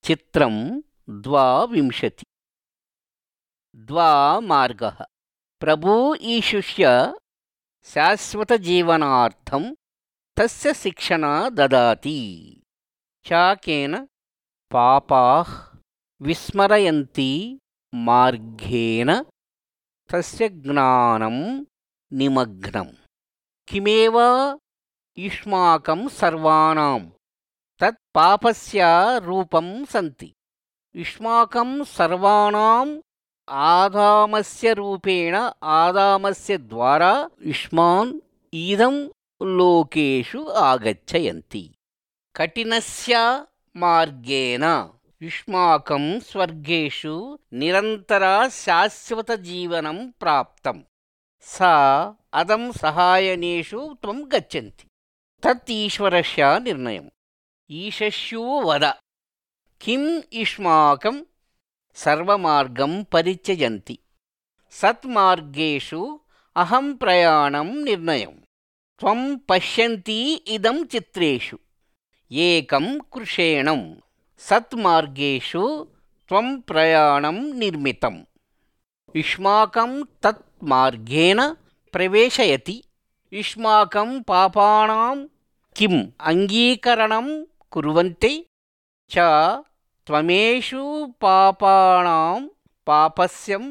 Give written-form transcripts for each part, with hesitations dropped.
चित्रं 22 द्वामार्गः प्रभु ईशुष्य शाश्वतजीवनार्थं तस्य शिक्षणा ददाति चाकेन पापाः विस्मरयन्ति मार्गेण तस्य ज्ञानं निमग्नं किमेव युष्माकं सर्वाणां तत् पापस्य रूपं सन्ति युष्माकं सर्वाणाम् आदामस्य रूपेण आदामस्य द्वारा युष्मान् इदं लोकेषु आगच्छन्ति कठिनस्य मार्गेण युष्माकं स्वर्गेषु निरन्तरा शाश्वतजीवनं प्राप्तं सा अदं सहायनेषु त्वं गच्छन्ति तत् ईश्वरस्य निर्णयम् ईशस्यो वद किं युष्माकं सर्वमार्गं परित्यजन्ति सत्मार्गेषु अहं प्रयाणं निर्णयं त्वं पश्यन्ति इदं चित्रेषु एकं कृषेणं सत्मार्गेषु त्वं प्रयाणं निर्मितं युष्माकं तत् मार्गेण प्रवेशयति युष्माकं पापानां किम् अङ्गीकरणं कुर्वन्ति च त्वमेषु पापानां पापस्यं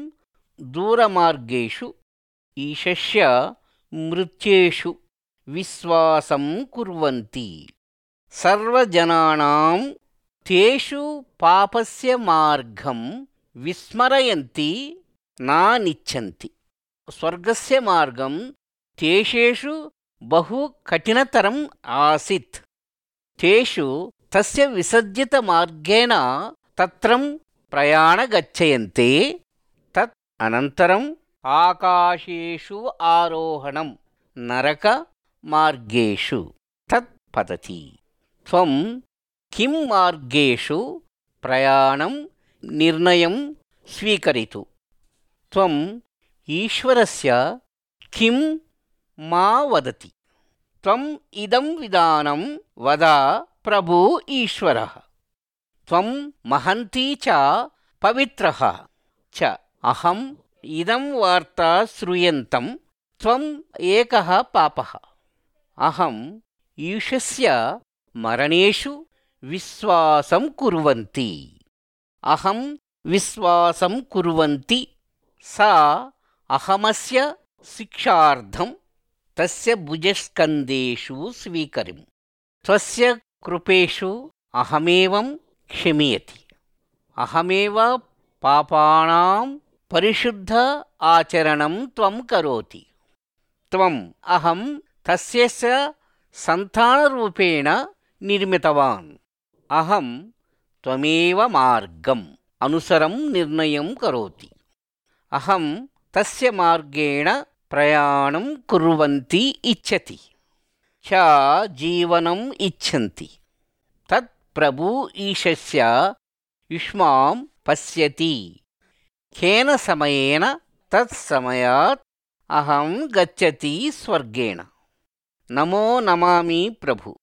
दूरमार्गेषु ईशस्य मृत्येषु विश्वासं कुर्वन्ति सर्वजनानां तेषु पापस्य मार्गं विस्मरयन्ति नानिच्छन्ति स्वर्गस्य मार्गं तेषु बहु कठिनतरम् आसीत् तेषु तस्य विसर्जितमार्गेण तत्रं प्रयाणगच्छन्ते तत् अनन्तरम् आकाशेषु आरोहणं नरकमार्गेषु तत् पतति त्वं किं मार्गेषु प्रयाणं निर्णयं स्वीकरितु त्वं ईश्वरस्य किं मा वदति त्वम् इदं विधानं वद प्रभु ईश्वरः त्वं महन्ती च पवित्रः च अहम् इदं वार्ता श्रूयन्तं त्वम् एकः पापः अहम् ईशस्य मरणेषु विश्वासं कुर्वन्ति अहं विश्वासं कुर्वन्ति सा अहमस्य शिक्षार्थं तस्य भुजस्कन्धेषु स्वीकरिम् त्वस्य कृपेषु अहमेवं क्षमयति अहमेव पापानां परिशुद्ध आचरणं त्वं करोति त्वम् अहं तस्य सन्तानरूपेण निर्मितवान् अहं त्वमेव मार्गम् अनुसरं निर्णयं करोति अहं तस्य मार्गेण प्रयाणं कुर्वन्ति इच्छति च जीवनम् इच्छन्ति तत् प्रभु ईशस्य युष्मां पश्यति केन समयेन तत्समयात् अहं गच्छति स्वर्गेण नमो नमामि प्रभु